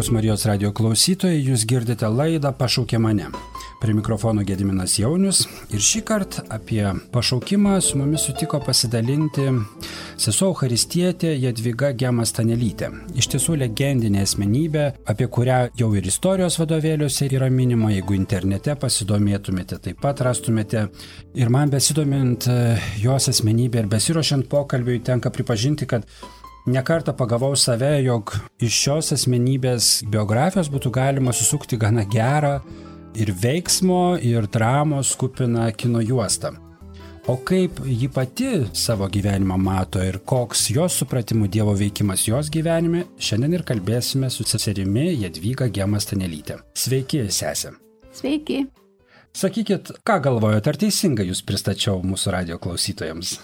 Brangus Marijos radio klausytojai, jūs girdite laidą Pašaukė mane. Prie mikrofono Gediminas Jaunius ir šį kartą apie pašaukimą su mumis sutiko pasidalinti sesuo Eucharistietė Jadvyga Gema Stanelytė. Iš tiesų legendinė asmenybė, apie kurią jau ir istorijos vadovėliuose yra minima, jeigu internete pasidomėtumėte, taip pat rastumėte. Ir man besidomint jos asmenybę ir besiruošiant pokalbiui tenka pripažinti, kad nekartą pagavau save, jog iš šios asmenybės biografijos būtų galima susukti gana gerą ir veiksmo, ir dramos kupiną kino juostą. O kaip ji pati savo gyvenimą mato ir koks jos supratimų Dievo veikimas jos gyvenime, šiandien ir kalbėsime su seserimi Jadvyga Gema Stanelytė. Sveiki, sesė. Sveiki. Sakykit, ką galvojate, ar teisingai jūs pristačiau mūsų radio klausytojams?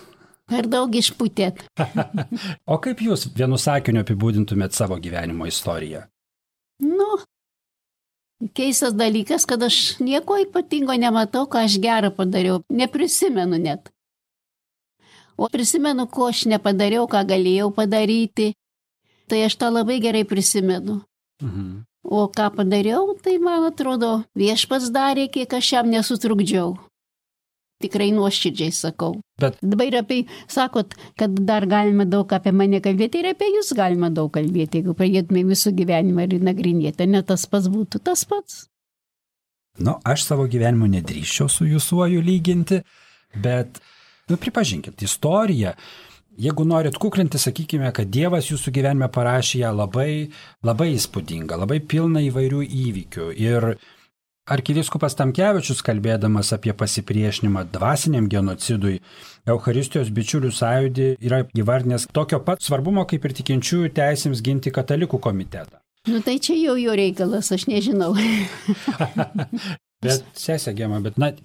Per daug išpūtėt. O kaip jūs vienu sakiniu apibūdintumėt savo gyvenimo istoriją? Keistas dalykas, kad aš nieko ypatingo nematau, ką aš gerą padariau. Neprisimenu net. O prisimenu, ko aš nepadariau, ką galėjau padaryti. Tai aš tą labai gerai prisimenu. O ką padariau, tai man atrodo, Viešpats darė, kiek aš jam nesutrukdžiau. Tikrai nuoširdžiai sakau. Bet dabar apie, sakot, kad dar galima daug apie mane kalbėti ir apie jūs galima daug kalbėti, jeigu pradėtume visų gyvenimą ir nagrinėti. Ne tas pats būtų tas pats. Aš savo gyvenimo nedrįsčiau su jūsuoju lyginti, bet, pripažinkit, istorija, jeigu norit kuklinti, sakykime, kad Dievas jūsų gyvenime parašė ją labai, labai įspūdinga, labai pilna įvairių įvykių. Ir arkivyskupas Tamkevičius, kalbėdamas apie pasipriešinimą dvasiniam genocidui, Eucharistijos bičiulių sąjūdį yra įvardinęs tokio pat svarbumo, kaip ir tikinčiųjų teisėms ginti katalikų komitetą. Tai čia jau jo reikalas, aš nežinau. Bet, sesė Gema,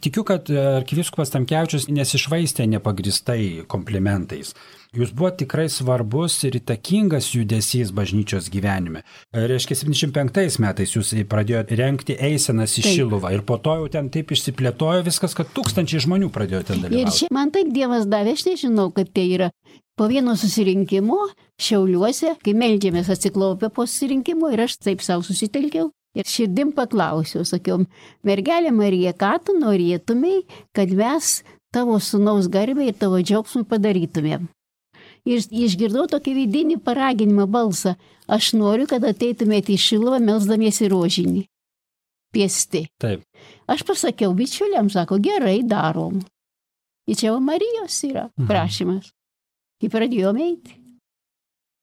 tikiu, kad arkivyskupas Tamkevičius nesišvaistė nepagristai komplimentais. Jūs buvo tikrai svarbus ir įtakingas judesys bažnyčios gyvenime. Reiškia, 75 metais jūs pradėjote rengti eisenas į Šiluvą ir po to jau ten taip išsiplėtojo viskas, kad tūkstančiai žmonių pradėjo ten dalyvauti. Ir čia man taip Dievas davė, aš nežinau, kaip tai yra. Po vieno susirinkimo Šiauliuose, kai meldžiamės atsiklaupę po susirinkimo ir aš taip savo susitelkiau. Ir širdim paklausiau, sakiau, mergelė Marija, ką tu norėtumei, kad mes tavo sūnaus garbę ir tavo džiaugsmui padarytumėm. Ir išgirdau tokį vidinį paraginimą balsą. Aš noriu, kad ateitumėte į Šiluvą melsdamiesi rožinį. Piesti. Taip. Aš pasakiau bičiuliams, sako, gerai darom. Ir čia Marijos yra prašymas. Ir pradėjome eiti.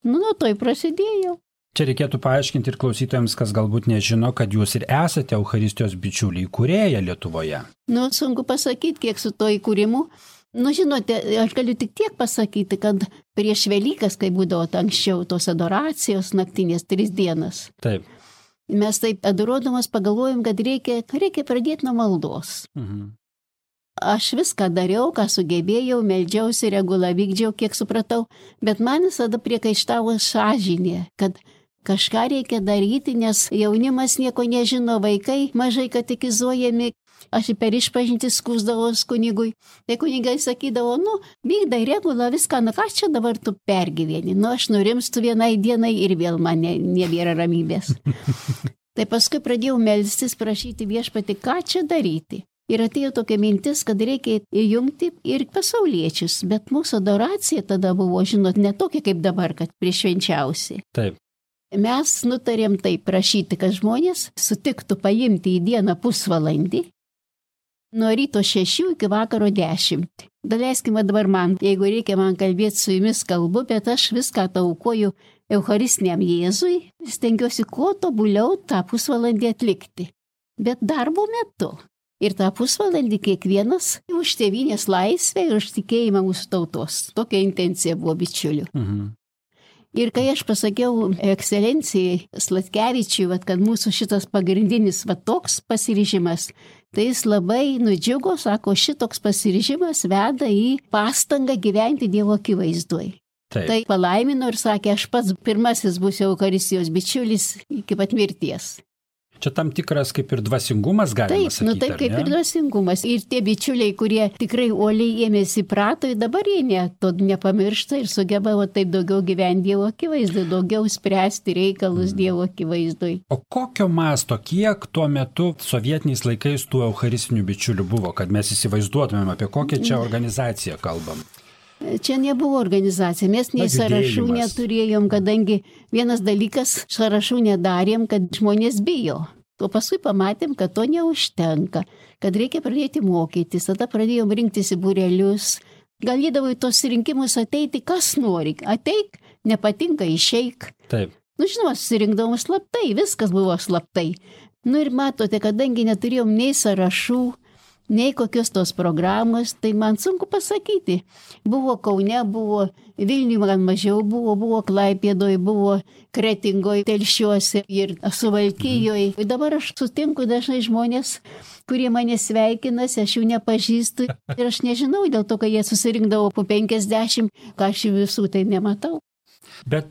Nuo to prasidėjau. Čia reikėtų paaiškinti ir klausytojams, kas galbūt nežino, kad jūs ir esate Eucharistijos bičiuliai įkūrėja Lietuvoje. Sunku pasakyti, kiek su to įkūrimu. Žinote, aš galiu tik tiek pasakyti, kad prieš Velykas, kai būdavo anksčiau tos adoracijos naktinės 3 dienas. Taip. Mes taip adoruodamas pagalvojom, kad reikia pradėti nuo maldos. Aš viską dariau, ką sugebėjau, meldžiausi, regulą vykdžiau, kiek supratau, bet man visada priekaištavo sąžinė, kad kažką reikia daryti, nes jaunimas nieko nežino, vaikai mažai katekizuojami. Aš per išpažintį skųsdavau kunigui. Tai kunigai sakydavo, vykdai regulą, viską, ką čia dabar tu pergyveni. Aš nurimstu vienai dienai ir vėl man nebėra ramybės. Tai paskui pradėjau melstis, prašyti Viešpatį, ką čia daryti. Ir atėjo tokia mintis, kad reikia įjungti ir pasauliečius, bet mūsų adoracija tada buvo, ne tokia kaip dabar, kad priešvenčiausi. Taip. Mes nutarėm taip prašyti, kad žmonės sutiktų paimti į dieną pusvalandį, nuo ryto 6 iki vakaro 10. Daleiskime dabar man, jeigu reikia man kalbėti su jumis kalbu, bet aš viską taukoju Eucharistiniam Jėzui, stengiuosi kuo tobuliau tą pusvalandį atlikti. Bet darbo metu. Ir tą pusvalandį kiekvienas už tėvynės laisvę ir už tikėjimą mūsų tautos. Tokia intencija buvo bičiulių. Ir kai aš pasakiau ekscelencijai Sladkevičiui, kad mūsų šitas pagrindinis toks pasiryžimas, tai jis labai nudžiugo, sako, šitoks pasiryžimas veda į pastangą gyventi Dievo akivaizdoj. Tai palaimino ir sakė, aš pats pirmasis būsiu Eucharistijos bičiulis iki pat mirties. Čia tam tikras kaip ir dvasingumas, galima sakyti. Taip, taip kaip ir dvasingumas. Ir tie bičiuliai, kurie tikrai uoliai ėmėsi prato, dabar jie to nepamiršta ir sugeba taip daugiau gyventi Dievo akivaizdui, daugiau spręsti reikalus Dievo akivaizdui. O kokio masto, kiek tuo metu sovietiniais laikais tų eucharistinių bičiulių buvo, kad mes įsivaizduotumėm, apie kokią čia organizaciją kalbam? Čia nebuvo organizacija, mes nei sąrašų neturėjom, kadangi vienas dalykas sąrašų nedarėm, kad žmonės bijo. O paskui pamatėm, kad to neužtenka, kad reikia pradėti mokytis, tada pradėjom rinktis į būrelius. Galėdavo į tos rinkimus ateiti, kas nori, ateik, nepatinka, išeik. Taip. Žinoma, susirinkdavom slaptai, viskas buvo slaptai. Ir matote, kadangi neturėjom nei sąrašų, nei kokios tos programos, tai man sunku pasakyti. Buvo Kaune, buvo Vilniuje, man mažiau buvo Klaipėdoje, buvo Kretingoje, Telšiuose ir Suvalkijoje. Dabar aš sutinku dažnai žmonės, kurie mane sveikinasi, aš jų nepažįstu ir aš nežinau, dėl to, kad jie susirinkdavo po 50, ką aš visų tai nematau. Bet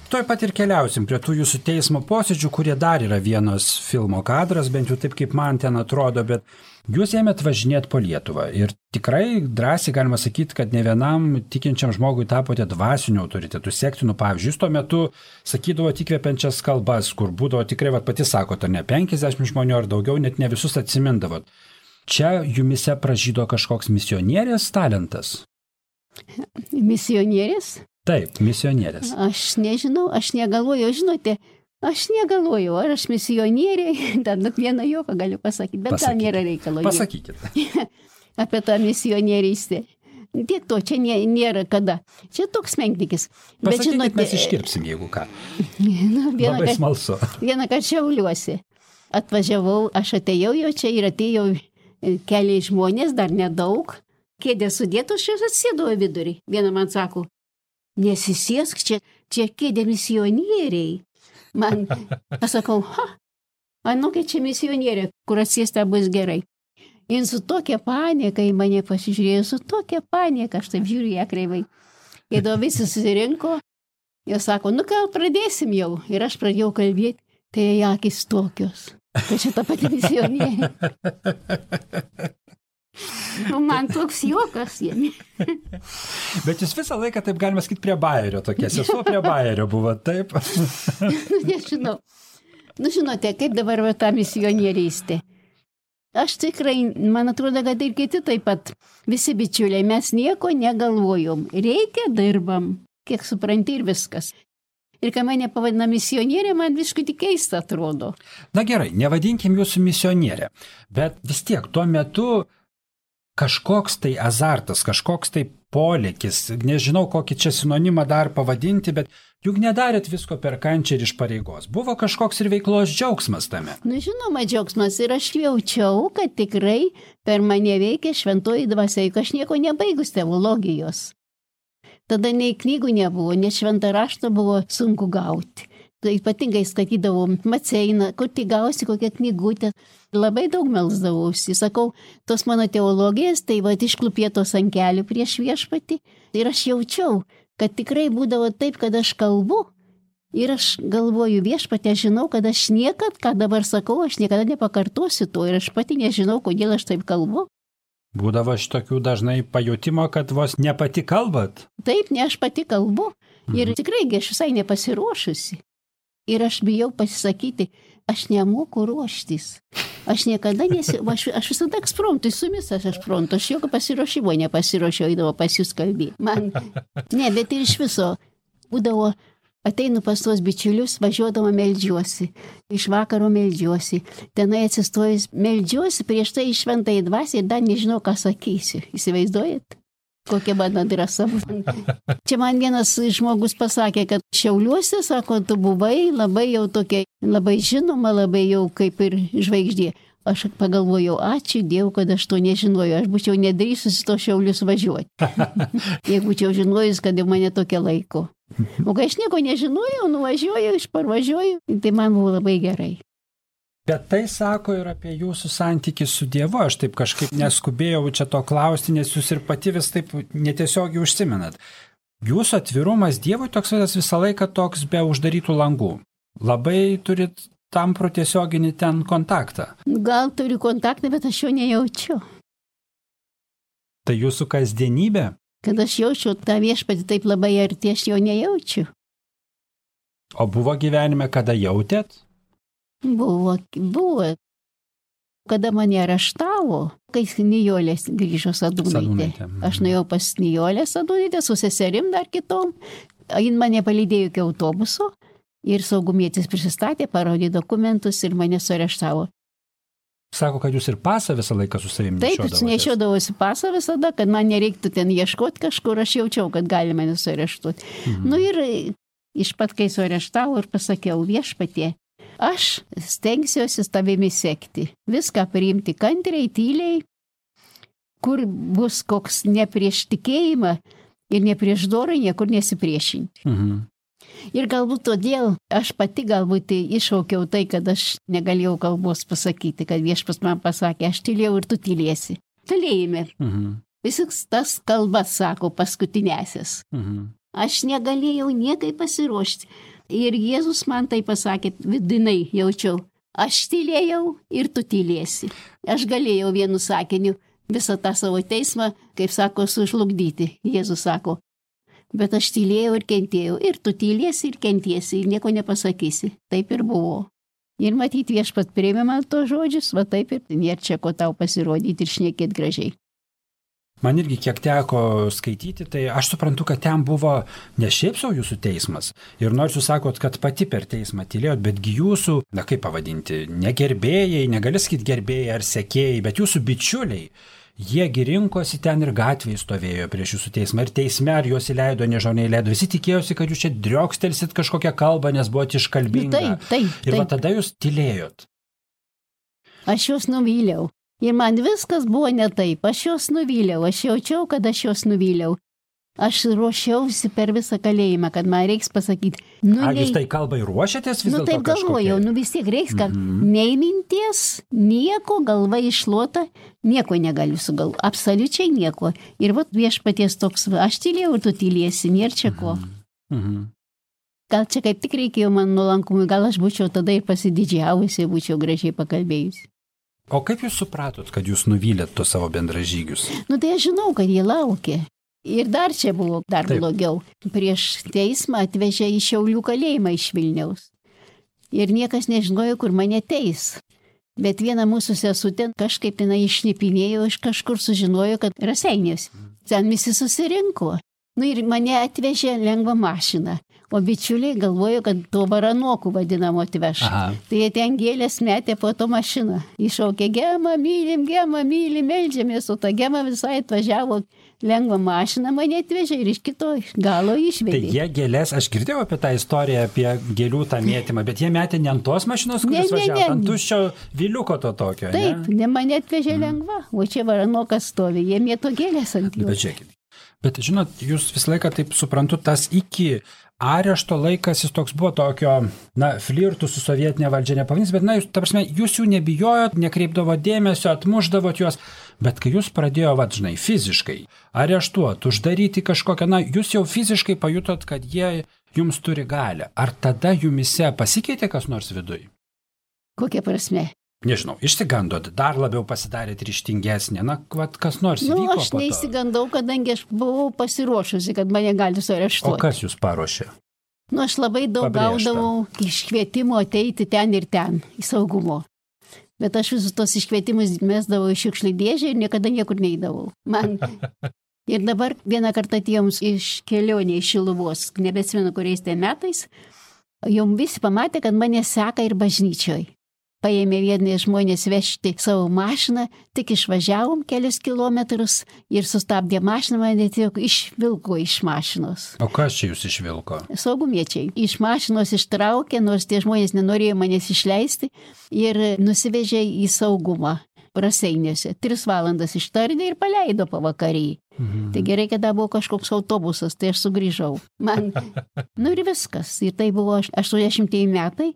toj pat ir keliausim prie tų jūsų teismo posėdžių, kurie dar yra vienas filmo kadras, bent jau taip, kaip man ten atrodo, bet jūs ėmėt važinėti po Lietuvą ir tikrai drąsiai galima sakyti, kad ne vienam tikinčiam žmogui tapote dvasiniu autoritetu, sektinu pavyzdžiui. Jūs tuo metu sakydavo įkvepiančias kalbas, kur būdavo tikrai, pati sakote, ne 50 žmonių ar daugiau, net ne visus atsimindavot. Čia jumise pražydo kažkoks misionierės talentas? Misionierės? Taip, misionierės. Aš nežinau, aš negalvoju, žinote, aš negalvoju, ar aš misionierė, dar vieną juoką galiu pasakyti, bet gal nėra reikalo. Pasakykit. Apie tą misionierystę. Tiek to, čia nėra kada. Čia toks menknikis. Pasakykit, žinote, mes iškirpsim, jeigu ką. Labai smalsu. Vieną kartą Šiauliuose atvažiavau, aš atėjau jau čia ir atėjau keliai žmonės, dar nedaug. Kėdė sudėtos, aš atsėdau vidurį. Viena man sako, nesisėsk, čia kėdė misionieriai. Man, aš sakau, kai čia misionierė, kur atsėsta bus gerai. Ir su tokia panieka į mane pasižiūrėjo, su tokia panieka, aš taip žiūriu ją kreivai. Ir visi susirinko, jie sako, gal pradėsim jau. Ir aš pradėjau kalbėti, tai akis tokios, kad čia ta pati misionierė. Man toks juokas jėmi. Bet jūs visą laiką, taip galima sakyti, prie bajerio tokia. Sesuo prie bajerio buvo, taip? Nežinau. Žinote, kaip dabar ta misionierystė. Aš tikrai, man atrodo, kad ir kiti taip pat, visi bičiuliai, mes nieko negalvojom. Reikia, dirbam, kiek supranti ir viskas. Ir kai mane pavadina misionierė, man visiškai tik keista atrodo. Na gerai, nevadinkim jūsų misionierė, bet vis tiek tuo metu kažkoks tai azartas, kažkoks tai polėkis, nežinau, kokį čia sinonimą dar pavadinti, bet juk nedarėt visko per kančią ir iš pareigos. Buvo kažkoks ir veiklos džiaugsmas tame. Žinoma, džiaugsmas ir aš jaučiau, kad tikrai per mane veikia šventoji dvasia, juk aš nieko nebaigus teologijos. Tada nei knygų nebuvo, net šventą raštą buvo sunku gauti. Tai ypatingai skatydavom Maceiną, kur tik gausi kokią knygutę. Labai daug melsdavausi. Sakau, tos mano teologijas, tai išklupėtos ant kelių prieš viešpatį. Ir aš jaučiau, kad tikrai būdavo taip, kad aš kalbu. Ir aš galvoju, viešpatė, žinau, kad aš niekad, ką dabar sakau, aš niekada nepakartosiu to. Ir aš pati nežinau, kodėl aš taip kalbu. Būdavo šitokių dažnai pajutimo, kad vos ne pati kalbat? Taip, ne aš pati kalbu. Ir tikrai aš visai nepasiruošusi. Ir aš bijau pasisakyti, aš nemoku ruoštis. Aš niekada aš visada ekspromptui, su jumis aš ekspromptu, aš jokio pasiruošimo nepasiruošiau, eidavo pas jūs kalbėti. Ne, bet ir iš viso būdavo, ateinu pas tuos bičiulius, važiuodama meldžiuosi, iš vakaro meldžiuosi, tenai atsistojus meldžiuosi, prieš tai iš šventąją dvasią ir dar nežinau, ką sakysiu. Įsivaizduojat? Kokia mano drąsa. Čia man vienas žmogus pasakė, kad Šiauliuose, sako, tu buvai labai jau tokia, labai žinoma, labai jau kaip ir žvaigždė. Aš pagalvojau, ačiū Dievui, kad aš to nežinojau, aš būčiau nedrįsusi to Šiaulius važiuoti. Jeigu būčiau žinojus, kad jau mane tokia laiko. O kai aš nieko nežinojau, nuvažiuoju, išparvažiuoju, tai man buvo labai gerai. Bet tai sako ir apie jūsų santykį su Dievu. Aš taip kažkaip neskubėjau čia to klausti, nes jūs ir pati vis taip netiesiogiai užsimenat. Jūsų atvirumas Dievui toks visą laiką toks be uždarytų langų. Labai turit tampro tiesioginį ten kontaktą? Gal turiu kontaktą, bet aš jo nejaučiu. Tai jūsų kasdienybė? Kad aš jaučiu tą viešpatį taip labai arti, aš jo nejaučiu. O buvo gyvenime, kada jautėt? Buvo. Kada mane areštavo, kai Nijolė grįžo Sadūnaitė. Aš nuėjau pas Nijolę Sadūnaitę su seserim dar kitom. Jin mane palydėjo iki autobuso ir saugumietis prisistatė, parodė dokumentus ir mane suareštavo. Sako, kad jūs ir pasą visą laiką su savimi nešiodavotės. Taip, nešiodavosi pasą visada, kad man nereiktų ten ieškoti kažkur, aš jaučiau, kad gali mane suareštuoti. Ir iš pat, kai suareštavo ir pasakiau, viešpatie, aš stengsiuosi tavimi sekti, viską priimti kantriai, tyliai, kur bus koks ne prieš tikėjimą ir ne prieš dorą, niekur nesipriešinti. Ir galbūt todėl aš pati galbūt iššaukiau tai, kad aš negalėjau kalbos pasakyti, kad viešpas man pasakė, aš tylėjau ir tu tylėsi. Kalėjime. Visas tas kalbas sako paskutinėsis. Aš negalėjau niekai pasiruošti. Ir Jėzus man tai pasakė, vidinai jaučiau, aš tylėjau ir tu tylėsi. Aš galėjau vienu sakiniu visą tą savo teismą, kaip sako, sužlugdyti. Jėzus sako, bet aš tylėjau ir kentėjau, ir tu tylėsi ir kentiesi, ir nieko nepasakysi. Taip ir buvo. Ir matyti viešpat priėmė man to žodžius, va taip ir nėra čia ko tau pasirodyti ir šnekėti gražiai. Man irgi kiek teko skaityti, tai aš suprantu, kad ten buvo ne šiaip savo jūsų teismas. Ir nors jūs sakot, kad pati per teismą tylėjot, betgi jūsų, kaip pavadinti, ne gerbėjai, negali sakyti gerbėjai ar sekėjai, bet jūsų bičiuliai, jiegi rinkosi ten ir gatvėje stovėjo prieš jūsų teismą. Ir teisme ar juos įleido, nežinau, neįleido. Visi tikėjosi, kad jūs čia driokstelsit kažkokią kalbą, nes buvote iškalbinga. Ir va tada jūs tylėjot. Aš juos nuvyliau. Ir man viskas buvo ne taip, aš juos nuvyliau, aš jaučiau, kad aš juos nuvyliau. Aš ruošiausi per visą kalėjimą, kad man reiks pasakyti. Jūs tai kalbai ruošiatės vis dėlto kažkokia? Taip galvojau, vis tiek reiks, kad nei minties, nieko, galva iššluota, nieko negaliu sugalvoti, absoliučiai nieko. Ir vat viešpaties toks, aš tylėjau ir tu tylėsi, nėra čia ko. Gal čia kaip tik reikėjo man nuolankumui, gal aš būčiau tada ir pasididžiavusi, būčiau gražiai pakalbėjusi. O kaip jūs supratot, kad jūs nuvylėt tos savo bendražygius? Tai aš žinau, kad jie laukė. Ir dar čia buvo blogiau. Prieš teismą atvežė į Šiaulių kalėjimą iš Vilniaus. Ir niekas nežinojo, kur mane teis. Bet viena mūsų sesutė kažkaip išnipinėjo, iš kažkur sužinojo, kad Raseiniuose. Ten visi susirinko. Ir mane atvežė lengvą mašiną. O bičiuliai galvojo, kad to baranokų vadinamo atveš. Tai jie ten gėlės metė po to mašiną. Iššaukė gemą, mylim, meldžiamės, o ta gema visai atvažiavo lengvą mašiną, mane atvežė ir iš kito galo išvedė. Tai jie gėlės, aš girdėjau apie tą istoriją, apie gėlių tą mėtymą, bet jie metė ne ant tos mašinos, kuris važiavo, ant tuščio viliuko to tokio. Taip, ne mane atvežė lengva, o čia baranokas stovi, jie mėto gėlės ant jų. Bet žiūrėkit. Bet žinot, jūs visą laiką taip suprantu, tas iki arešto laikas jis toks buvo tokio, flirtų su sovietinė valdžia nepavadins, bet jūs, ta prasme, jūs jų nebijojot, nekreipdavo dėmesio, atmušdavot juos, bet kai jūs pradėjo, fiziškai areštuoti, uždaryti kažkokią, jūs jau fiziškai pajutot, kad jie jums turi galią. Ar tada jumise pasikeitė kas nors viduj? Kokia prasme? Nežinau, išsigandot, dar labiau pasidarėt ryžtingesnė, kas nors vyko po to? Aš neįsigandau, kadangi aš buvau pasiruošusi, kad mane gali suareštuoti. O kas jūs paruošė? Aš labai daug gaudavau iškvietimų ateiti ten ir ten, į saugumo. Bet aš visus tos iškvietimus mesdavau į šiukšlių dėžę ir niekada niekur neidavau. Ir dabar vieną kartą atėjom iš kelionė iš Šiluvos, nebeatsimenu kuriais tai metais, jau visi pamatė, kad mane seka ir bažnyčioj. Paėmė vieni žmonės vežti savo mašiną, tik išvažiavom kelius kilometrus ir sustabdė mašiną, mane tiesiog išvilko iš mašinos. O kas čia jūs išvilko? Saugumiečiai. Iš mašinos ištraukė, nors tie žmonės nenorėjo manęs išleisti ir nusivežė į saugumą Raseiniuose. 3 valandas ištardė ir paleido pavakarį. Tai gerai, kad buvo kažkoks autobusas, tai aš sugrįžau. Ir viskas. Ir tai buvo 80 metai.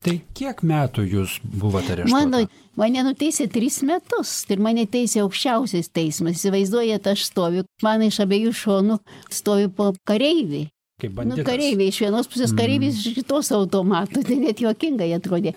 Tai kiek metų jūs buvote areštuota? Mane nuteisė 3 metus ir mane teisė aukščiausias teismas. Įsivaizduojate, aš stoviu, man iš abiejų šonų stovi po kareivį. kaip banditas. Nu, kareiviai iš vienos pusės, kareiviai iš kitos automatų, tai net juokingai atrodė.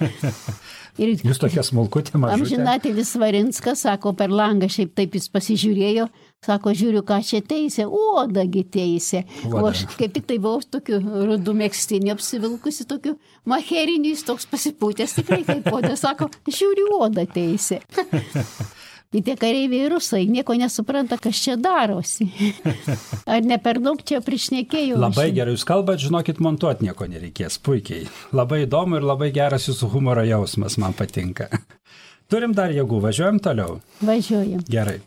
Ir jūs tokia smulkutė mažutė. Amžinatelis Svarinskas, sako, per langą šiaip taip jis pasižiūrėjo, sako, žiūriu, ką čia teisė, odagi teisė. O aš kaip tik tai buvau tokiu rudu megztinį apsivilkusi, tokiu maheriniu, jis toks pasipūtęs, tikrai kaip oda, sako, žiūriu, oda teisė. Ir tie kareiviai rusai nieko nesupranta, kas čia darosi. Ar ne per daug čia prišnekėjau? Labai gerai, jūs kalbat, žinokit, montuoti nieko nereikės, puikiai. Labai įdomu ir labai geras jūsų humoro jausmas, man patinka. Turim dar jėgų, važiuojam toliau? Važiuojam. Gerai.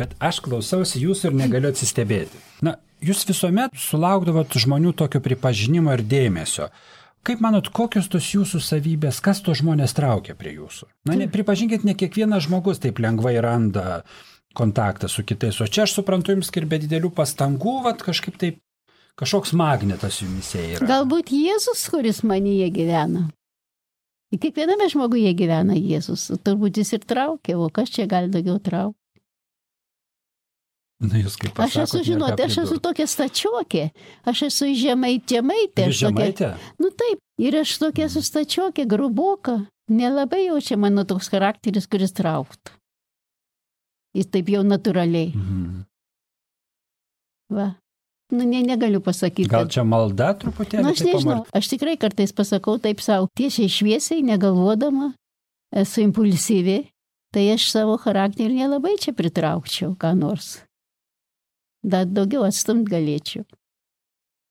Bet aš klausausi jūsų ir negaliu atsistebėti. Na, jūs visuomet sulaukdavot žmonių tokio pripažinimo ir dėmesio. Kaip manot, kokios tos jūsų savybės, kas tos žmonės traukia prie jūsų? Na, pripažinkit, ne kiekvienas žmogus taip lengvai randa kontaktą su kitais, o čia aš suprantu jums ir be didelių pastangų, vat kažkaip taip, kažkoks magnetas jumise yra. Galbūt Jėzus, kuris manyje gyvena. Ir kiekviename žmoguje gyvena Jėzus, turbūt jis ir traukia, o kas čia gali daugiau traukti? Na, jūs kaip pasakot, aš esu, žinoti, aš esu tokia stačiokė, aš esu žemaitė. Žemaitė? Nu taip, ir aš tokia esu stačiokė, gruboka, nelabai jau čia mano toks charakteris, kuris trauktų. Jis taip jau natūraliai. Va. Nu, negaliu pasakyti. Gal čia malda truputėlį? Nu, aš nežinau, aš tikrai kartais pasakau taip savo, tiesiai šviesiai, negalvodama, esu impulsyvi, tai aš savo charakterį nelabai čia pritraukčiau, ką nors. Dar daugiau atstumt galėčiau.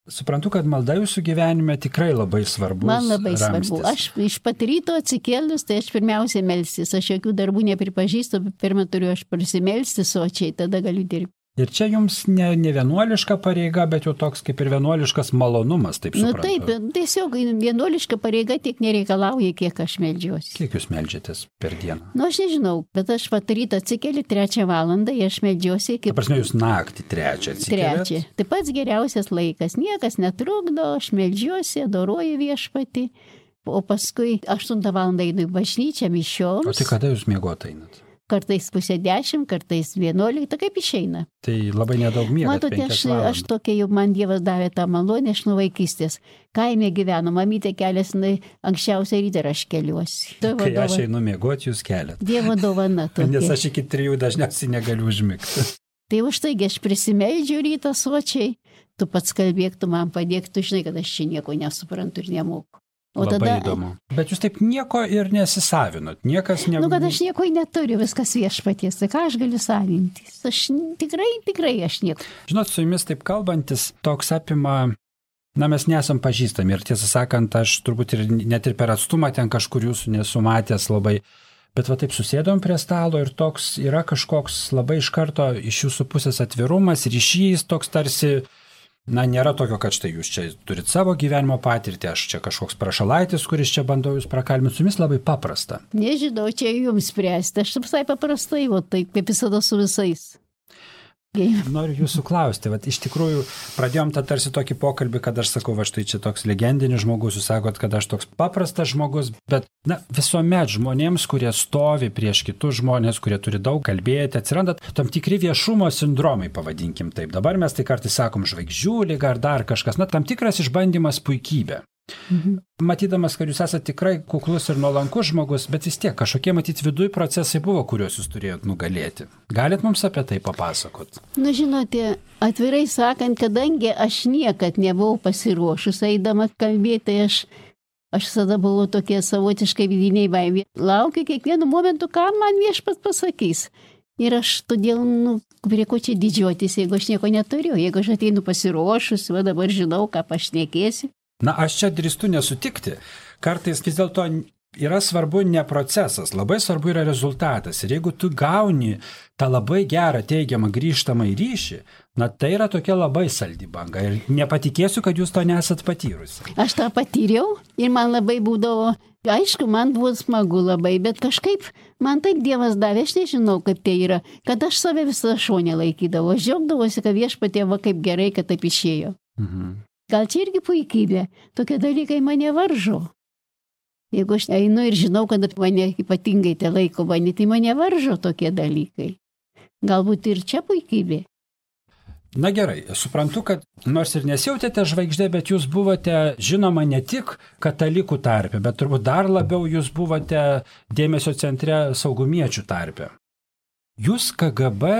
Suprantu, kad malda jūsų gyvenime tikrai labai svarbus. Man labai ramstis. svarbu. Aš iš pat ryto atsikėlus, tai aš pirmiausiai melstis. Aš jokių darbų nepripažįstu, pirmą turiu aš prisimelsti sočiai, tada galiu dirbti. Ir čia jums ne vienuoliška pareiga, bet jau toks kaip ir vienuoliškas malonumas, taip suprantu. Nu taip, tiesiog vienuoliška pareiga tiek nereikalauja, kiek aš meldžiuosi. Kiek jūs meldžiatės per dieną? Nu aš nežinau, bet aš pat rytą atsikeli 3 valandą, aš meldžiuosi kaip... Ta prasme, jūs naktį 3 atsikeliat? 3. Tai pats geriausias laikas. Niekas netrukdo, aš meldžiuosi, adoruoju viešpatį, o paskui 8 valandą einu į bažnyčią mišioms. O tai kada jūs miegot einat? Kartais 9:30, kartais 11, kaip išeina. Tai labai nedaug miegat. Matote, aš tokia, jau man Dievas davė tą malonę, aš nuo vaikystės. Kaime gyvenu, mamytė keliasi anksčiausiai ryte ir aš keliuosi. Kai aš einu miegoti, jūs keliat. Dievo dovana tokia. Nes aš iki 3 dažniausiai negaliu užmigti. Tai už taigi aš prisimeldžiu rytą sočiai, tu pats kalbėk, tu man padėk, tu žinai, kad aš čia nieko nesuprantu ir nemoku. O labai tada... įdomu. Bet jūs taip nieko ir nesisavinot, niekas ne... Nu, kad aš nieko neturiu, viskas viešpaties, tai ką aš galiu savintis? Aš tikrai aš nieko. Žinot, su jumis taip kalbantis, toks apima, na, mes nesam pažįstami ir tiesą sakant, aš turbūt ir net ir per atstumą ten kažkur jūsų nesu matęs labai, bet va taip susėdom prie stalo ir toks yra kažkoks labai iš karto iš jūsų pusės atvirumas, ryšys toks tarsi... Na, nėra tokio, kad štai jūs čia turit savo gyvenimo patirtį, aš čia kažkoks prašalaitis, kuris čia bandau jūs prakalbinti, su jumis labai paprasta. Nežinau, čia jums spręsti, aš visai paprastai, o taip kaip visada su visais. Noriu jūsų klausti, vat, iš tikrųjų pradėjom tą tarsi tokį pokalbį, kad aš sakau, va štai čia toks legendinis žmogus, jūs sakot, kad aš toks paprastas žmogus, bet na, visuomet žmonėms, kurie stovi prieš kitus žmonės, kurie turi daug kalbėti, atsiranda tam tikri viešumo sindromai, pavadinkim taip. Dabar mes tai kartais sakom žvaigždžių lyga ar dar kažkas, na, tam tikras išbandymas puikybė. Matydamas, kad jūs esate tikrai kuklus ir nuolankus žmogus, bet vis tiek kažkokie matyti viduj procesai buvo, kuriuos jūs turėjot nugalėti. Galit mums apie tai papasakot? Nu, žinote, atvirai sakant, kadangi aš niekad nebuvau pasiruošus eidama kalbėti, aš visada buvau tokie savotiškai vidiniai baimė. Laukiu kiekvienu momentu, ką man viešpats pasakys. Ir aš todėl, prie ko čia didžiuotis, jeigu aš nieko neturiu, jeigu aš ateinu pasiruošus, va dabar žinau, ką pašnekėsiu. Na, aš čia drįstu nesutikti. Kartais vis dėlto yra svarbu ne procesas, labai svarbu yra rezultatas. Ir jeigu tu gauni tą labai gerą teigiamą grįžtamą ryšį, na, tai yra tokia labai saldi banga. Ir nepatikėsiu, kad jūs to nesat patyrusi. Aš tą patyriau ir man labai būdavo, aišku, man buvo smagu labai, bet kažkaip man taip Dievas davė, aš nežinau, kaip tai yra, kad aš save visą šonę laikydavau. Aš džiaugdavosi, kad viešpatie va kaip gerai, kad taip išėjo. Gal čia irgi puikybė, tokie dalykai mane varžo. Jeigu aš einu ir žinau, kad mane ypatingai te laiko mane, tai mane varžo tokie dalykai. Galbūt ir čia puikybė. Na gerai, suprantu, kad nors ir nesijautėte žvaigždė, bet jūs buvote žinoma ne tik katalikų tarpe, bet turbūt dar labiau jūs buvote dėmesio centre saugumiečių tarpe. Jūs KGB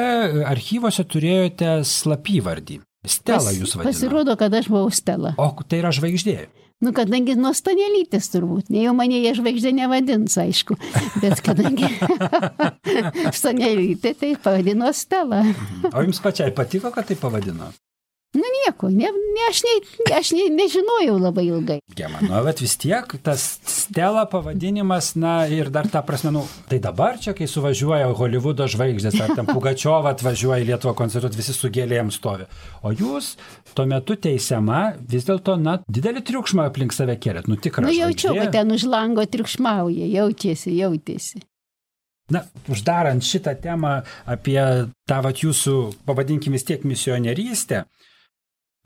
archyvose turėjote slapyvardį. Stela jūs vadino. Pasirodo, kad aš buvau Stela. O tai yra žvaigždė? Nu, kadangi nuo Stanelytės turbūt. Ne jau mane jie žvaigždė nevadins, aišku. Bet kadangi Stanelytė, tai pavadino Stela. O jums pačiai patiko, kad tai pavadino? Nu, nieko. Aš nežinojau labai ilgai. Gema, nu, bet vis tiek tas Stela pavadinimas, na ir dar ta prasme, nu, tai dabar čia, kai suvažiuoja Holivudo žvaigždės, ar ten Pugačiova atvažiuoja į Lietuvą koncertuoti, visi su gėlėm stovi. O jūs tuo metu teisiama, vis dėlto, na, didelį triukšmą aplink save kėlėt, nu tikra žvaigždė. Nu, jaučiau, kad ten už lango triukšmauja, jautėsi. Na, uždarant šitą temą apie tą vat jūsų, pavadinkim vis tiek misionierystę,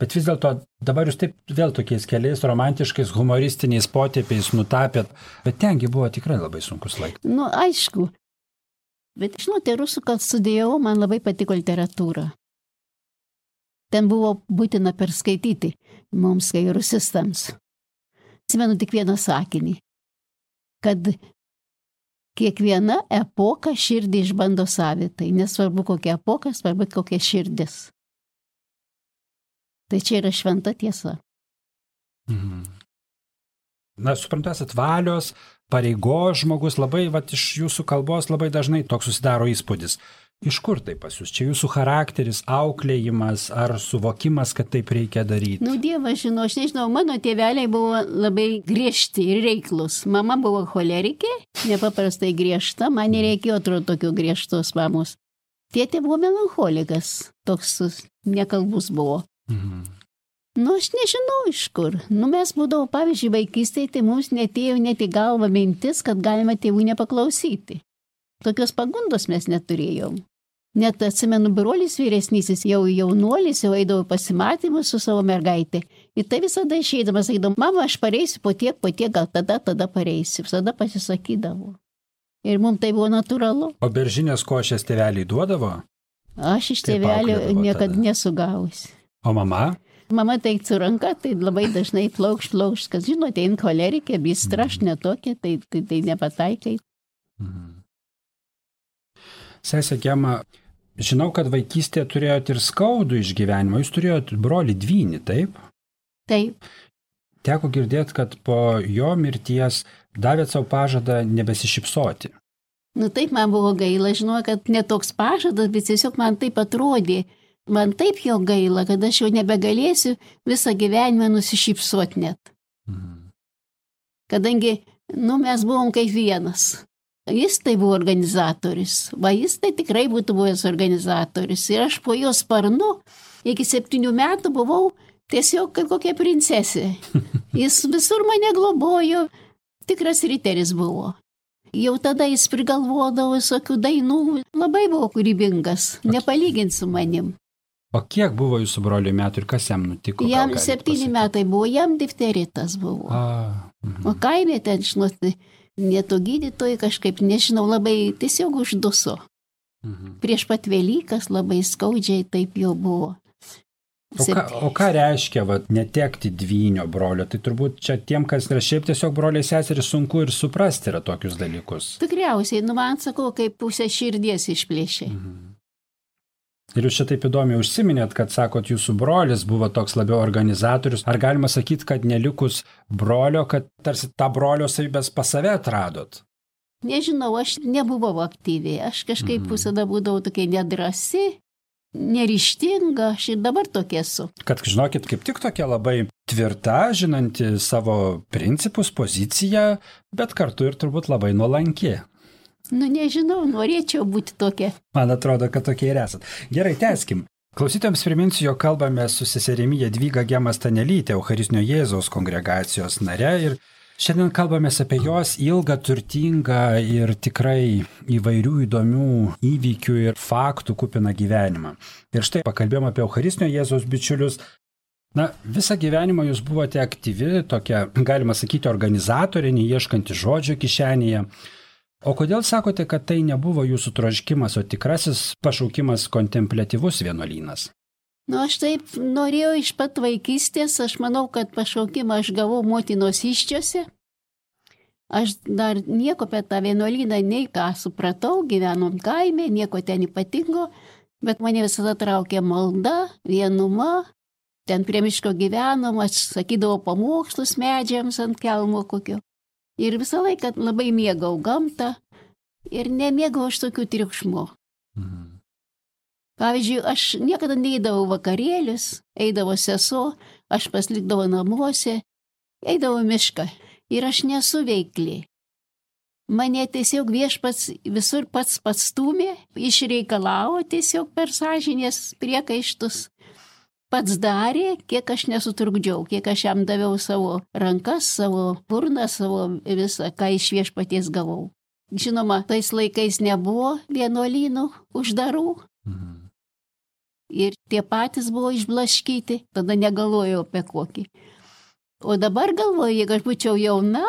bet vis dėlto dabar jūs taip vėl tokiais keliais romantiškais, humoristiniais potėpiais nutapėt, bet tengi buvo tikrai labai sunkus laikas. Nu, aišku. Bet, žinote, rusų kalbą studijavau, man labai patiko literatūra. Ten buvo būtina perskaityti mums, kai rusistams. Atsimenu tik vieną sakinį, kad kiekviena epoka širdį išbando savitai. Nesvarbu kokia epoka, svarbu kokia širdis. Tai čia yra šventa tiesa. Na, suprantu, esat valios, pareigos žmogus, labai, iš jūsų kalbos labai dažnai toks susidaro įspūdis. Iš kur tai pas jūs? Čia jūsų charakteris, auklėjimas ar suvokimas, kad taip reikia daryti? Nu, Dievas žino, aš nežinau, mano tėveliai buvo labai griežti ir reiklus. Mama buvo cholerikė, nepaprastai griežta, man nereikėjo, atrodo, tokių griežtos mamos. Tėtė buvo melancholikas, toks nekalbus buvo. Nu, aš nežinau iš kur. Nu, mes būdavo, pavyzdžiui, vaikystėje, tai mums netėjo net į galvą mintis, kad galima tėvų nepaklausyti. Tokios pagundos mes neturėjom. Net atsimenu, brolis vyresnysis, jau jaunuolis, jau eidavo pasimatymus su savo mergaitė. Ir tai visada išeidamas, sakydavo, mama, aš pareisiu po tiek, gal tada pareisiu. Visada pasisakydavo. Ir mums tai buvo natūralu. O beržinės košės tėveliai duodavo? Aš iš tėvelio niekada nesugausi. O mama? Mama teiktų ranką, tai labai dažnai plaukš, kas žinote, cholerikė, bistra, aš netokia, tai nepataikai. Sesė Gema, žinau, kad vaikystėje turėjote ir skaudų išgyvenimą. Jūs turėjote brolį dvynį, taip? Taip. Teko girdėti, kad po jo mirties davėt savo pažadą nebesišypsoti. Nu taip, man buvo gaila, žinau, kad ne toks pažadas, bet tiesiog man taip atrodė. Man taip jo gaila, kad aš jau nebegalėsiu visą gyvenimą nusišypsoti net. Kadangi, mes buvom kaip vienas. Jis tai buvo organizatorius, jis tai tikrai būtų buvęs organizatorius. Ir aš po jo sparnu iki 7 metų buvau tiesiog kaip kokia princesė. Jis visur mane globojo, tikras riteris buvo. Jau tada jis prigalvodavo visokių dainų, labai buvo kūrybingas, nepalygint su manim. O kiek buvo jūsų broliui metų ir kas jam nutiko? Jam 7 metai buvo, jam difteritas buvo. O kaime ten, žinoti, neto gydytojai kažkaip, nežinau, labai tiesiog užduso. Prieš pat Velykas labai skaudžiai taip jau buvo. O ką reiškia netekti dvynio brolio? Tai turbūt čia tiem, kas yra šiaip tiesiog broliai seserys, sunku ir suprasti yra tokius dalykus. Tikriausiai, man sakau, kaip pusę širdies išplėšė. Ir jūs čia taip įdomiai užsiminėt, kad sakot, jūsų brolis buvo toks labiau organizatorius. Ar galima sakyti, kad nelikus brolio, kad tarsi tą brolio savybės pas save atradot? Nežinau, aš nebuvau aktyviai. Aš kažkaip visada būdavau tokia nedrasi, neryžtinga, aš ir dabar tokia esu. Kad, žinokit, kaip tik tokia labai tvirta, žinanti savo principus, poziciją, bet kartu ir turbūt labai nuolanki. Nu, nežinau, norėčiau būti tokia. Man atrodo, kad tokie ir esat. Gerai, tęskim. Klausytojams priminsiu, jog kalbame su seserimi Jadvyga Gema Stanelytė, Eucharistinio Jėzaus kongregacijos nare, ir šiandien kalbamės apie jos ilgą, turtingą ir tikrai įvairių įdomių įvykių ir faktų kupiną gyvenimą. Ir štai pakalbėjom apie Eucharistinio Jėzaus bičiulius. Na, visą gyvenimą jūs buvote aktyvi, tokia, galima sakyti, organizatorė, neieškanti žodžio kišenėje. O kodėl sakote, kad tai nebuvo jūsų troškimas, o tikrasis pašaukimas kontempliatyvus vienuolynas? Aš taip norėjau iš pat vaikystės, aš manau, kad pašaukimą aš gavau motinos iščiose. Aš dar nieko apie tą vienuolyną nei ką supratau, gyvenom kaime, nieko ten ypatingo, bet mane visada traukė malda, vienuma. Ten prie miško gyvenom, aš sakydavau pamokslus medžiams ant kelmo kokio. Ir visą laiką labai mėgau gamtą ir nemėgau aš tokių triukšmų. Pavyzdžiui, aš niekada neįdavau vakarėlius, eidavo sesuo, aš pasilikdavau namuose, eidavau mišką ir aš nesu veikli. Mane tiesiog viešpats visur pats stūmė, išreikalavo tiesiog per sąžinės priekaištus. Pats darė, kiek aš nesutrukdžiau, kiek aš jam daviau savo rankas, savo burną, savo visą, ką iš viešpaties gavau. Žinoma, tais laikais nebuvo vienuolynų uždarų. Ir tie patys buvo išblaškyti, tada negalvojau apie kokį. O dabar galvoju, jeigu aš būčiau jauna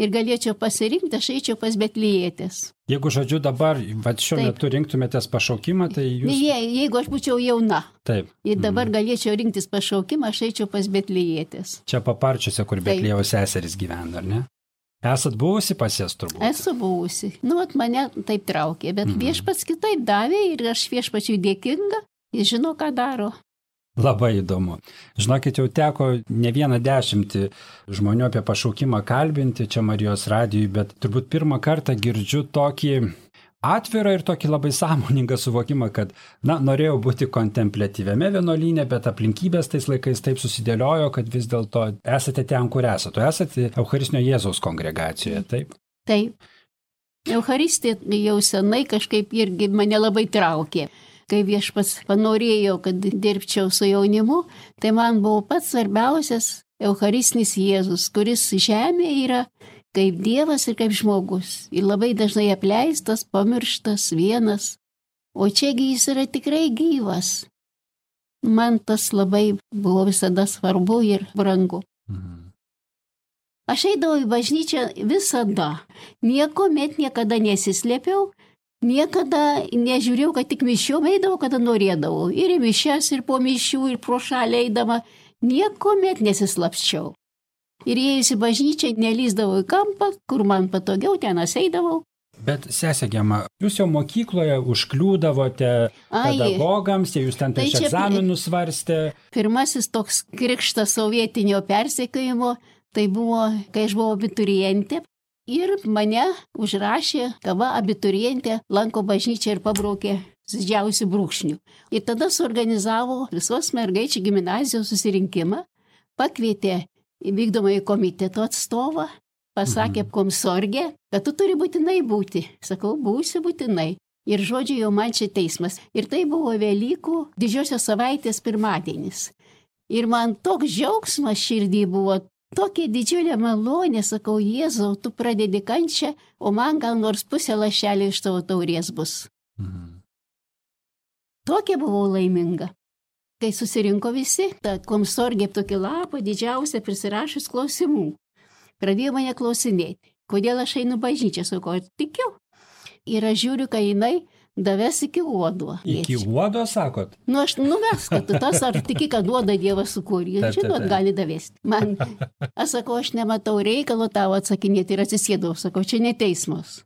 ir galėčiau pasirinkti, aš eičiau pas Betlijietės. Jeigu, žodžiu, dabar, šiuo metu rinktumėtės pašaukimą, tai jūs... Jeigu aš būčiau jauna. Taip. Ir dabar galėčiau rinktis pašaukimą, aš eičiau pas Betlijietės. Čia Paparčiuose, kur Betliejaus seserys gyvena, ar ne? Esat buvusi pas jas turbūt? Esu buvusi. Mane taip traukė, bet viešpats kitaip davė ir aš viešpačiui dėkinga. Jis žino, ką daro. Labai įdomu. Žinokit, jau teko ne vieną 10 žmonių apie pašaukimą kalbinti čia Marijos radijui, bet turbūt pirmą kartą girdžiu tokį atvirą ir tokį labai sąmoningą suvokimą, kad, norėjau būti kontempliatyviame vienuolyne, bet aplinkybės tais laikais taip susidėliojo, kad vis dėlto esate ten, kur esate. Esate Eucharistinio Jėzaus kongregacijoje, taip? Taip. Eucharistija jau senai kažkaip irgi mane labai traukė. Kai viešpats panorėjo, kad dirbčiau su jaunimu, tai man buvo pats svarbiausias Eucharistinis Jėzus, kuris žemėje yra kaip Dievas ir kaip žmogus. Ir labai dažnai apleistas, pamirštas, vienas. O čiagi jis yra tikrai gyvas. Man tas labai buvo visada svarbu ir brangu. Aš eidavau į bažnyčią visada. Niekuomet niekada nesislėpiau. Niekada nežiūrėjau, kad tik mišiom eidavau, kada norėdavau. Ir į mišias, ir po mišių, ir pro šalį eidama. Niekuomet nesislapščiau. Ir įėjus į bažnyčią, nelįsdavau į kampą, kur man patogiau, ten eidavau. Bet sesė Gema, jūs jau mokykloje užkliūdavote pedagogams, jūs ten prieš egzaminus svarstė. Pirmasis toks krikštas sovietinio persekiojimo, tai buvo, kai aš buvau abiturientė. Ir mane užrašė, kava abiturientė lanko bažnyčią ir pabraukė didžiausių brūkšnių. Ir tada suorganizavo visos mergaičių gimnazijos susirinkimą, pakvietė į vykdomąjį komiteto atstovą, pasakė komsorgė, kad tu turi būtinai būti. Sakau, būsiu būtinai. Ir žodžiu, jau man čia teismas. Ir tai buvo Velykų didžiosios savaitės pirmadienis. Ir man toks džiaugsmas širdį buvo. Tokia didžiulė malonė, sakau, Jėzau, tu pradedi kančią, o man gal nors pusė lašelio iš tavo taurės bus. Tokia buvau laiminga. Kai susirinko visi, ta komsorgė tokį lapą didžiausią prisirašus klausimų. Pradėjo mane klausinėti, kodėl aš einu bažnyčią, sakau, tikiu. Ir aš žiūriu, kai jinai daves iki uodo. Iki uodo, sakot? Aš nuves, kad tu tas ar tiki, kad uodą Dievas sukūrė. Žinot, gali davesti. Man, aš sakau, aš nematau reikalo tavo atsakinėti ir atsisėdau. Sakau, čia ne teismas.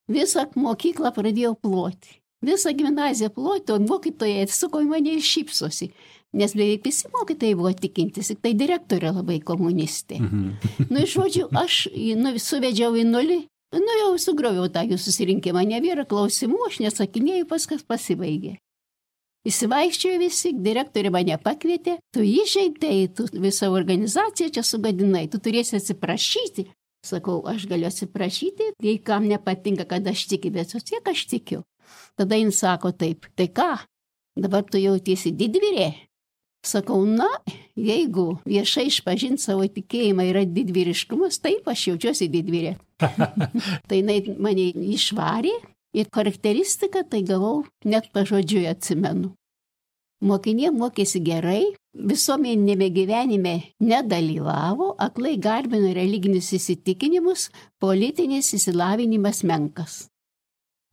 Visą mokyklą pradėjau ploti. Visą gimnaziją ploti, o mokytojai atsuko į mane ir šypsosi. Nes beveik visi mokytojai buvo tikintis, tik tai direktorė labai komunistė. Iš žodžių, aš suvedžiau į nulį. Jau sugroviau tą jų susirinkimą, nebėra klausimų, aš nesakinėjau, paskas pasibaigė. Įsivaikščiojo visi, direktorė mane pakvietė, tu įžeidai, tu visą organizaciją čia sugadinai, tu turėsi atsiprašyti. Sakau, aš galiu atsiprašyti, jei kam nepatinka, kad aš tikiu, bet vis tiek aš tikiu. Tada jin sako taip, tai ką, dabar tu jautiesi didvyrė? Sakau, jeigu viešai išpažinti savo tikėjimą yra didvyriškumas, taip aš jaučiuosi didvyrė. Tai jinai mane išvarė ir charakteristiką tai gavau net pažodžiui atsimenu. Mokiniai mokėsi gerai, visuomenėme gyvenime nedalyvavo, aklai garbino religinius įsitikinimus, politinis išsilavinimas menkas.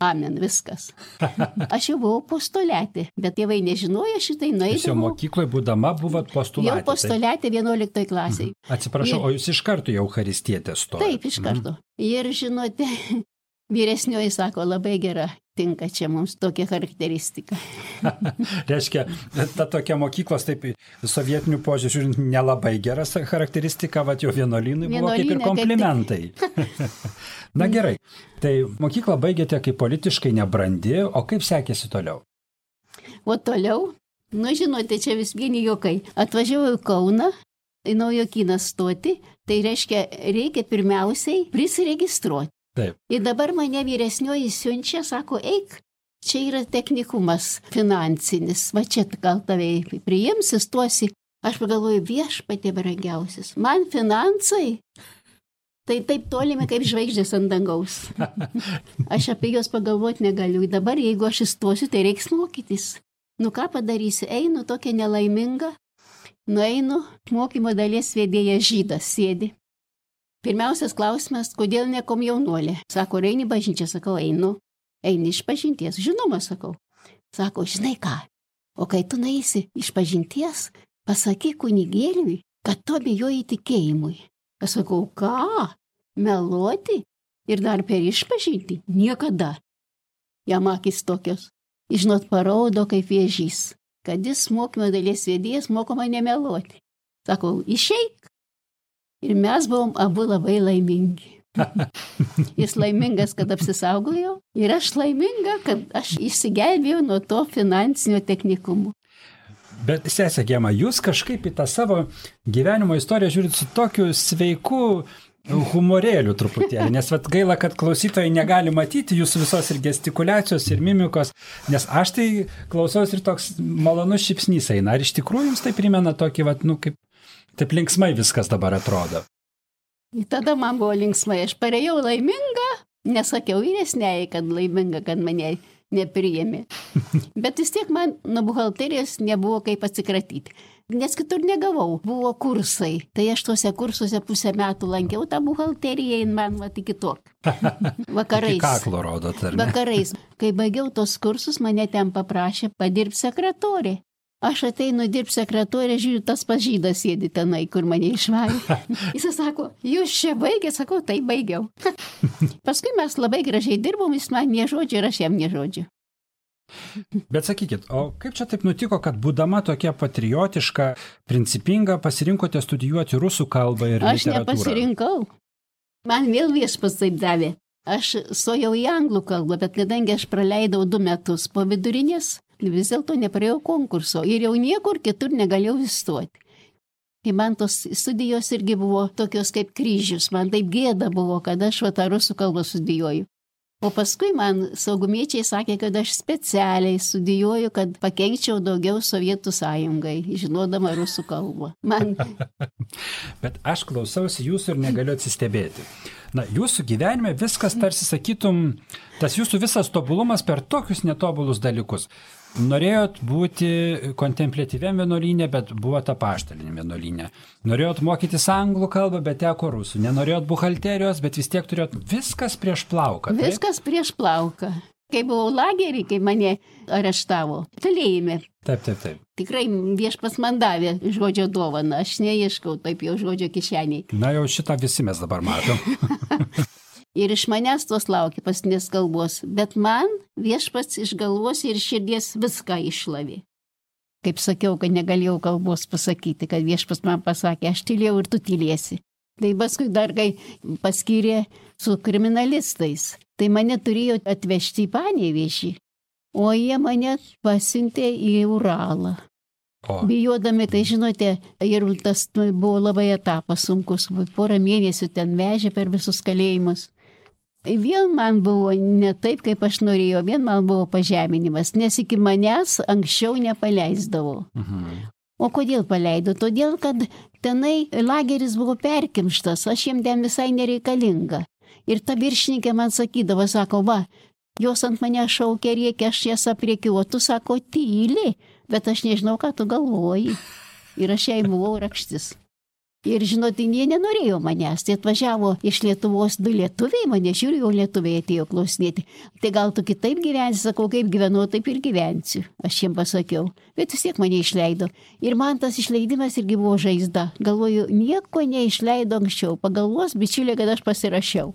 Amen, viskas. Aš jau buvau postoliatė, bet tėvai nežinojo šitai, nueidavau. Jūs jau mokykloje būdama buvot postoliatė. Jau postoliatė 11 klasiai. Atsiprašau, o jūs iš karto jau Eucharistietė stojate? Taip, iš karto. Ir žinote, vyresnioji sako, labai gera, tinka čia mums tokia charakteristika. Reiškia, ta tokia mokyklos, taip, sovietinių požiūrį žiūrint, nelabai gera charakteristika, va jau vienuolynui buvo kaip ir komplimentai. Na gerai, tai mokyklą baigėte kaip politiškai nebrandi, o kaip sekėsi toliau? O toliau, žinote, čia vis vieni juokai. Atvažiavau į Kauną, į Naujokyną stoti, tai reiškia, reikia pirmiausiai prisiregistruoti. Taip. Ir dabar mane vyresnioji siunčia, sako, eik, čia yra technikumas finansinis, va čia gal tave priims, įstuosi. Aš pagalvoju, viešpatie brangiausias, man finansai, tai taip tolimi kaip žvaigždės ant dangaus. Aš apie juos pagalvoti negaliu. Dabar, jeigu aš įstuosiu, tai reiks mokytis. Nu ką padarysiu, einu tokia nelaiminga, nueinu, mokymo dalies vedėjas žydas sėdi. Pirmiausias klausimas, kodėl ne komjaunuolė? Sako, eini bažnyčią, sakau, einu. Eini iš pažinties, žinoma, sakau. Sako, žinai ką, o kai tu naisi iš pažinties, pasakyk kunigėliui, kad tu abejoji tikėjimui. Aš sakau, ką? Meluoti? Ir dar per išpažinti? Niekada. Jam akys tokios. Žinot, parodo kaip vėžys, kad jis mokymo dalies vedėjas moko mane meluoti. Sakau, išeik. Ir mes buvom abu labai laimingi. Jis laimingas, kad apsisaugojo, ir aš laiminga, kad aš išsigelbėjau nuo to finansinio technikumo. Bet, sesė Gema, jūs kažkaip į tą savo gyvenimo istoriją žiūrit su tokiu sveiku humorėliu truputėlį, nes gaila, kad klausytojai negali matyti jūsų visos ir gestikuliacijos, ir mimikos, nes aš tai klausaus ir toks malonus šypsnys eina. Ar iš tikrųjų jums tai primena tokį, kaip taip linksmai viskas dabar atrodo? Tada man buvo linksmai, aš parėjau laiminga, nesakiau vyresniai, kad laiminga, kad mane nepriėmė. Bet vis tiek man nuo buhalterijos nebuvo kaip atsikratyti. Nes kitur negavau, buvo kursai. Tai aš tuose kursuose pusę metų lankiau tą buhalteriją ir man iki tok. Vakarais. Iki kaklo rodot, ar ne? Vakarais. Kai baigiau tos kursus, mane ten paprašė padirbti sekretorė. Aš ateinu dirbti sekretorė, žiūriu, tas pažydas sėdi tenai, kur mane išvarė. Jis sako, jūs čia baigė, sakau, tai baigiau. Paskui mes labai gražiai dirbom, jis man nežodžiu ir aš jam nežodžiu. Bet sakykit, o kaip čia taip nutiko, kad būdama tokia patriotiška, principinga, pasirinkote studijuoti rusų kalbą ir aš literatūrą? Aš nepasirinkau. Man vėl viešpats taip davė. Aš stojau į anglų kalbą, bet kadangi aš praleidau 2 metus po vidurinės, vis dėlto nepraėjau konkurso ir jau niekur kitur negalėjau įstoti. Tai man tos studijos irgi buvo tokios kaip kryžius, man taip gėda buvo, kad aš tą rusų kalbą studijuoju. O paskui man saugumiečiai sakė, kad aš specialiai studijuoju, kad pakenkčiau daugiau Sovietų sąjungai, žinodama rusų kalbą. Bet aš klausausi jūsų ir negaliu atsistebėti. Na, jūsų gyvenime viskas tarsi sakytum, tas jūsų visas tobulumas per tokius netobulus dalykus. Norėjot būti kontempliatyviam vienuolyne, bet buvot apaštaliniam vienuolyne. Norėjot mokytis anglų kalbą, bet teko rusų. Nenorėjot buhalterijos, bet vis tiek turėjot viskas prieš plauką. Taip? Viskas prieš plauką. Kai buvau lagerį, kai mane areštavo, kalėjime. Taip. Tikrai viešpats man davė žodžio dovaną, aš neieškau taip jau žodžio kišeniai. Na jau šitą visi mes dabar matom. Ir iš manęs tos laukia paskutinės kalbos, bet man viešpats iš galvos ir širdies viską išlavė. Kaip sakiau, kad negalėjau kalbos pasakyti, kad viešpats man pasakė, aš tylėjau ir tu tylėsi. Tai paskui dar kai paskyrė su kriminalistais, tai mane turėjo atvežti į Panevėžį, o jie mane pasiuntė į Uralą. Bijodami, tai žinote, ir tas buvo labai etapas sunkus, 4 mėnesių ten vežė per visus kalėjimus. Vėl man buvo ne taip, kaip aš norėjau, vien man buvo pažeminimas, nes iki manęs anksčiau nepaleisdavo. O kodėl paleido? Todėl, kad tenai lageris buvo perkimštas, aš jiem ten visai nereikalinga. Ir ta viršininkė man sakydavo, sako, va, jos ant mane šaukia, rėkia, aš jas apriekiu, o tu, sako, tyli, bet aš nežinau, ką tu galvoji. Ir aš jai buvau rakštis. Ir žinot, jie nenorėjo manęs. Tai atvažiavo iš Lietuvos 2 lietuviai, mane žiūri, o lietuviai atėjo klausinėti. Tai gal tu kitaip gyvensi, sakau, kaip gyvenau, taip ir gyvensiu. Aš jiems pasakiau. Bet vis tiek mane išleido. Ir man tas išleidimas irgi buvo žaizda. Galvoju, nieko neišleido anksčiau. Pagalvos, bičiulė, kad aš pasirašiau.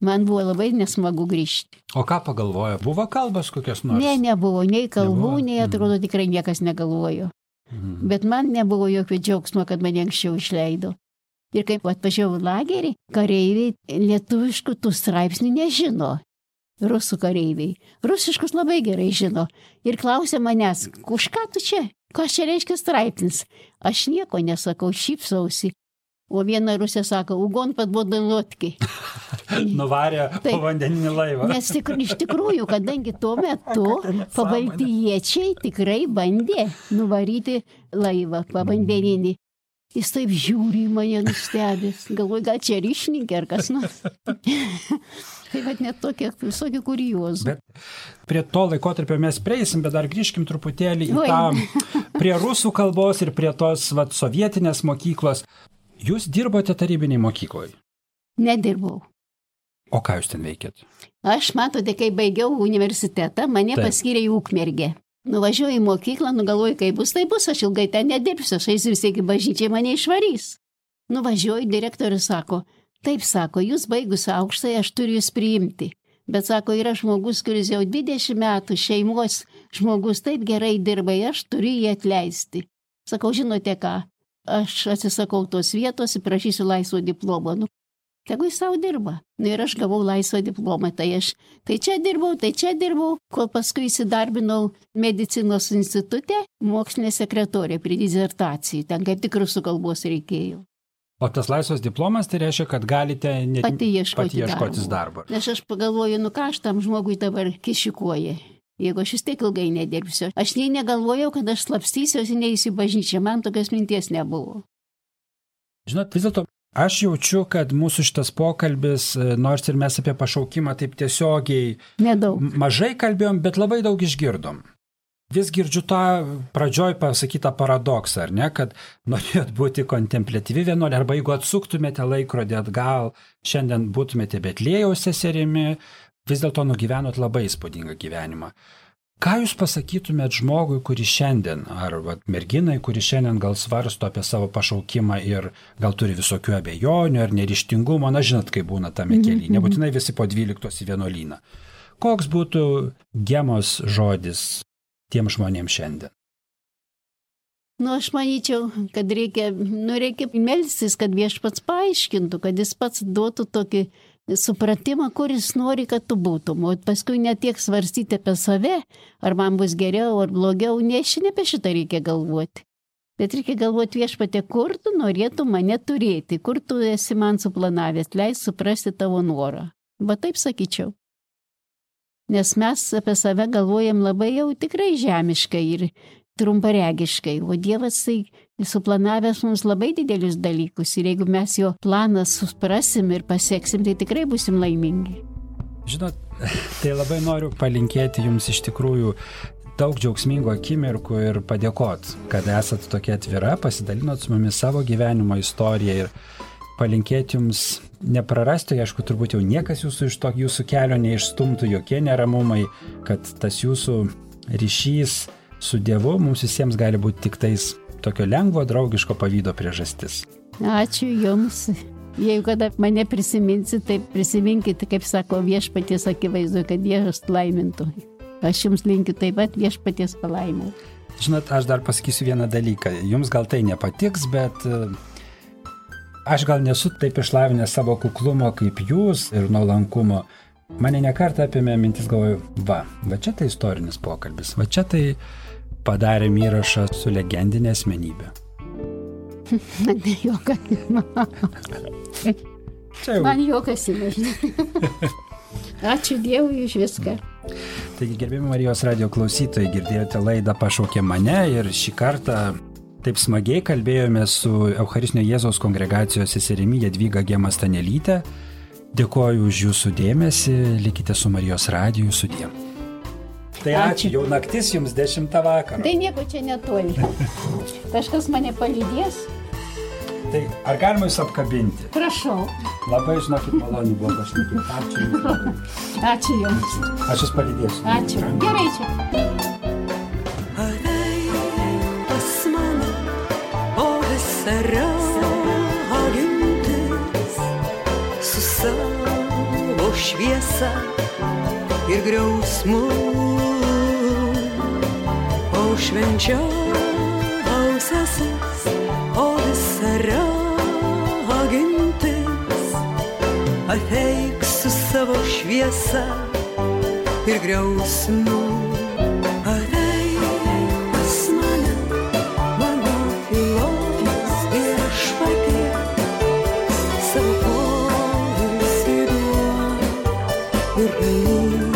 Man buvo labai nesmagu grįžti. O ką pagalvojo? Buvo kalbos kokios nors? Ne, nebuvo. Nei kalbų, nei atrodo tikrai niekas negalvojo. Bet man nebuvo jokio džiaugsmo, kad mane anksčiau išleido. Ir kaip atvažiavau į lagerį, kareiviai lietuviškų tų straipsnių nežino. Rusų kareiviai. Rusiškus labai gerai žino. Ir klausė manęs, už ką tu čia? Ką čia reiškia straipsnis? Aš nieko nesakau, šypsausi. O viena rusė sako, ugon padvoda lodki. Nuvarė povandeninį laivą. Nes iš tikrųjų, kadangi tuo metu pabaltijiečiai tikrai bandė nuvaryti laivą povandeninį. Jis taip žiūri į mane nustebęs. Galvoju, gal čia ryšininkė ar kas nors. Tai vat net tokie visokie kuriozų. Bet prie to laikotarpio mes prieisim, bet dar grįžkim truputėlį į tą prie rusų kalbos ir prie tos sovietinės mokyklos. Jūs dirbote tarybiniai mokykloje? Nedirbau. O ką jūs ten veikėt? Aš, matote, kai baigiau universitetą, mane paskyrė į Ukmergę. Nuvažiuoju į mokyklą, galvoju, kaip bus, tai bus, aš ilgai ten nedirbsiu, aš eisiu vis tiek į bažnyčią, mane išvarys. Nuvažiuoju, direktorius sako, taip sako, jūs baigus aukštai, aš turiu jūs priimti. Bet sako, yra žmogus, kuris jau 20 metų šeimos žmogus taip gerai dirba, aš turiu jį atleisti. Sakau, žinote ką? Aš atsisakau tos vietos ir prašysiu laisvo diplomo. Tegu jis savo dirba. Ir aš gavau laisvą diplomą. Tai čia dirbau, kol paskui įsidarbinau medicinos institute, mokslinė sekretorė prie disertacijų. Ten kaip tik rusų kalbos reikėjo. O tas laisvas diplomas tai reiškia, kad galite pati ieškotis darbo. Nes aš pagalvoju, ką aš tam žmogui dabar kišikuoju. Jeigu aš vis tiek ilgai nedirbsiu. Aš nei negalvojau, kad aš slapstysiuosi, neįsiu bažnyčią. Man tokios minties nebuvo. Žinot, vis dėlto, aš jaučiu, kad mūsų šitas pokalbis, nors ir mes apie pašaukimą taip tiesiogiai mažai kalbėjom, bet labai daug išgirdom. Vis girdžiu tą pradžioj pasakytą paradoksą, ar ne, kad norėjot būti kontempliatyvi vienuolė, arba jeigu atsuktumėte laikrodį atgal, šiandien būtumėte Betliejaus seserimi, vis dėlto nugyvenot labai įspūdingą gyvenimą. Ką jūs pasakytumėt žmogui, kuris šiandien, ar merginai, kuris šiandien gal svarsto apie savo pašaukimą ir gal turi visokių abejonių ar neryžtingumo, na žinot, kaip būna tame kelyje, nebūtinai visi po 12 į vienuolyną. Koks būtų Gemos žodis tiem žmonėms šiandien? Aš manyčiau, kad reikia melstis, kad Viešpats paaiškintų, kad jis pats duotų tokį supratimą, kuris nori, kad tu būtum. O paskui ne tiek svarstyti apie save, ar man bus geriau ar blogiau, ne apie šitą reikia galvoti. Bet reikia galvoti, Viešpatie, kur tu norėtum mane turėti, kur tu esi man suplanavęs, leis suprasti tavo norą. Va taip sakyčiau. Nes mes apie save galvojam labai jau tikrai žemiškai ir trumparegiškai, o Dievas tai suplanavęs mums labai didelius dalykus ir jeigu mes jo planą suprasim ir pasieksim, tai tikrai busim laimingi. Žinot, tai labai noriu palinkėti jums iš tikrųjų daug džiaugsmingų akimirkų ir padėkot, kad esat tokia atvira, pasidalinot su mumis savo gyvenimo istoriją ir palinkėti jums neprarasti, aišku, turbūt jau niekas iš to jūsų kelio neišstumtų, jokie neramumai, kad tas jūsų ryšys su Dievu mums visiems gali būti tik tais tokio lengvo, draugiško pavydo priežastis. Ačiū jums. Jeigu kada mane prisiminsit, tai prisiminkite, kaip sako Viešpaties akivaizdu, kad Dievas laimintų. Aš jums linkiu taip pat Viešpaties palaimų. Žinot, aš dar pasakysiu vieną dalyką. Jums gal tai nepatiks, bet aš gal nesu taip išlavinęs savo kuklumo kaip jūs ir nuolankumo. Mane nekartą apėmė mintis, galvoju, va čia tai istorinis pokalbis, va čia tai padarėm įrašą su legendinė asmenybė. Man juokas įmažinė. Ačiū Dievui už viską. Taigi, gerbimi Marijos radijo klausytojai, girdėjote laidą Pašaukė mane ir šį kartą taip smagiai kalbėjome su Eucharistinio Jėzaus kongregacijos seserimi Jadvyga Gema Stanelytė. Dėkoju už jūsų dėmesį, likite su Marijos radiju, sudie. Tai ačiū, jau naktis jums 10 vakaro. Tai nieko čia netoli. Kažkas mane palydės. Tai ar galima jūs apkabinti? Prašau. Labai, žinokit, maloniai buvo pašnekėti. Ačiū jums labai. Ačiū jums. Aš jūs palydėsiu. Ačiū. Gerai čia. Ateik pas mane, o visa ragintis, su savo šviesa ir griausmu, o švenčiausiasis, o visa ragintis, ateik su savo šviesa ir griausmu. Ateik pas mane, mano tylos viešpatie, savo poilsį duok ir ramybę.